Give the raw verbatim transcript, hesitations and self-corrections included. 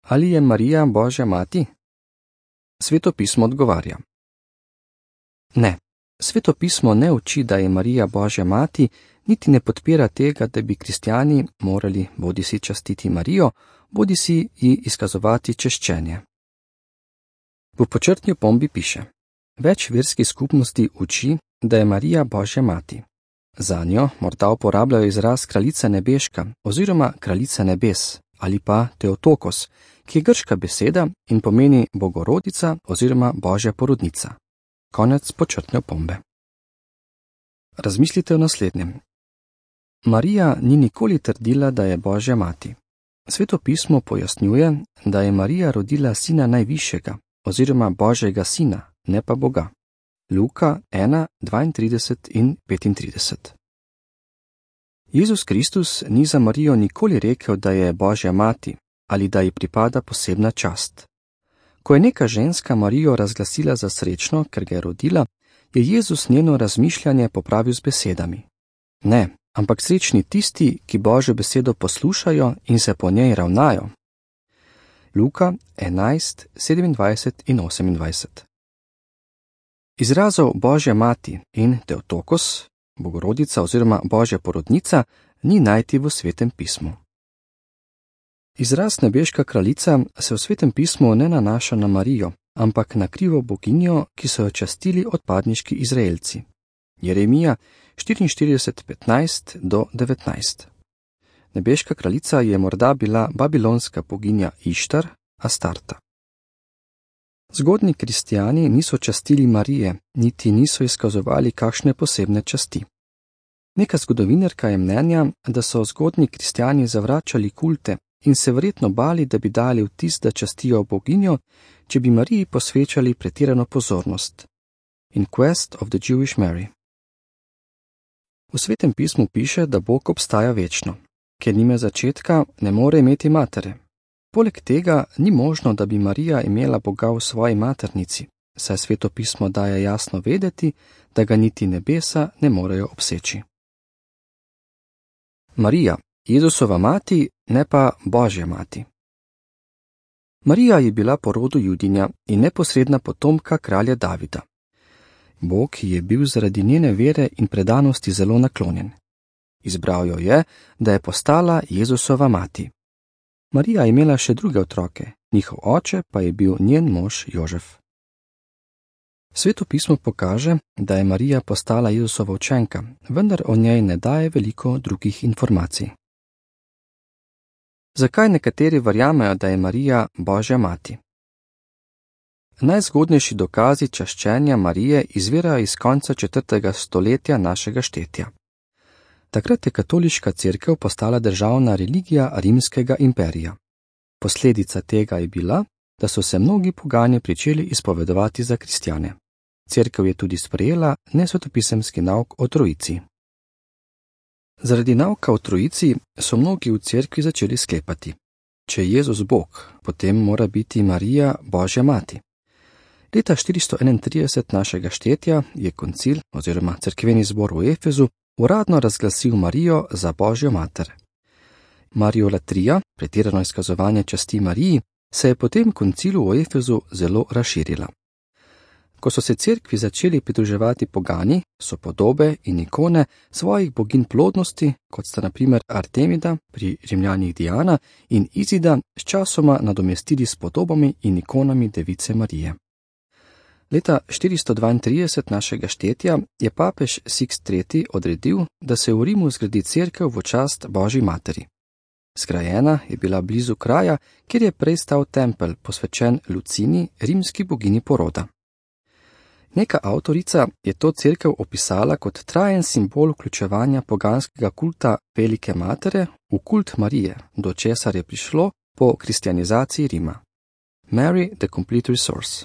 Ali je Marija Božja mati? Sveto pismo odgovarja. Ne, Sveto pismo ne uči, da je Marija Božja mati, niti ne podpira tega, da bi kristjani morali bodisi častiti Marijo, bodisi ji izkazovati češčenje. V počrtni opombi piše: Več verskih skupnosti uči, da je Marija Božja mati. Zanjo morda uporabljajo izraz kraljica nebeška oziroma kraljica nebes ali pa Teotokos, ki je grška beseda in pomeni bogorodica oziroma Božja porodnica. Konec počrtne opombe. Razmislite o naslednjem. Marija ni nikoli trdila, da je Božja mati. Sveto pismo pojasnjuje, da je Marija rodila sina najvišjega oziroma Božjega sina, ne pa Boga. Luka ena, dvaintrideset in petintrideset. Jezus Kristus ni za Marijo nikoli rekel, da je Božja mati ali da ji pripada posebna čast. Ko je neka ženska Marijo razglasila za srečno, ker ga je rodila, je Jezus njeno razmišljanje popravil z besedami. Ne, ampak srečni tisti, ki Božjo besedo poslušajo in se po njej ravnajo. Luka enajst, sedemindvajset in osemindvajset. Izrazov Božja mati in Teotokos, bogorodica oziroma Božja porodnica, ni najti v Svetem pismu. Izraz nebeška kraljica se v Svetem pismu ne nanaša na Marijo, ampak na krivo boginjo, ki so jo častili odpadniški Izraelci. Jeremija štiriinštirideset, petnajst do devetnajst. Nebeška kraljica je morda bila babilonska boginja Ištar, Astarta. Zgodnji kristjani niso častili Marije, niti niso izkazovali kakšne posebne časti. Neka zgodovinarka je mnenja, da so zgodnji kristjani zavračali kulte in se verjetno bali, da bi dali vtis, da častijo boginjo, če bi Mariji posvečali pretirano pozornost. In Quest of the Jewish Mary. V Svetem pismu piše, da Bog obstaja večno. Ker nima začetka, ne more imeti matere. Poleg tega ni možno, da bi Marija imela Boga v svoji maternici, saj Sveto pismo daje jasno vedeti, da ga niti nebesa ne morejo obseči. Marija, Jezusova mati, ne pa Božja mati. Marija je bila po rodu Judinja in neposredna potomka kralja Davida. Bog je bil zaradi njene vere in predanosti zelo naklonjen. Izbral jo je, da je postala Jezusova mati. Marija je imela še druge otroke, njihov oče pa je bil njen mož Jožef. Sveto pismo pokaže, da je Marija postala Jezusova učenka, vendar o njej ne daje veliko drugih informacij. Zakaj nekateri verjamejo, da je Marija Božja mati? Najzgodnejši dokazi čaščenja Marije izvirajo iz konca četrtega stoletja našega štetja. Takrat je katoliška cerkev postala državna religija rimskega imperija. Posledica tega je bila, da so se mnogi pogani pričeli izpovedovati za kristjane. Cerkev je tudi sprejela nesvetopisemski nauk o Trojici. Zaradi nauka o Trojici so mnogi v cerkvi začeli sklepati: če je Jezus Bog, potem mora biti Marija Božja mati. Leta štiristo enaintrideset našega štetja je koncil oziroma cerkveni zbor v Efezu uradno razglasil Marijo za Božjo mater. Mariolatrija, pretirano izkazovanje časti Mariji, se je po tem koncilu v Efezu zelo razširila. Ko so se cerkvi začeli pridruževati pogani, so podobe in ikone svojih boginj plodnosti, kot sta na primer Artemida, pri Rimljanih Diana, in Izida, sčasoma nadomestili s podobami in ikonami Device Marije. Leta štiristo dvaintrideset našega štetja je papež Sixt tretji odredil, da se v Rimu zgradi cerkev v čast Božji materi. Zgrajena je bila blizu kraja, kjer je prej stal tempelj, posvečen Lucini, rimski bogini poroda. Neka avtorica je to cerkev opisala kot trajen simbol vključevanja poganskega kulta Velike matere v kult Marije, do česar je prišlo po kristjanizaciji Rima. Mary, the Complete Resource.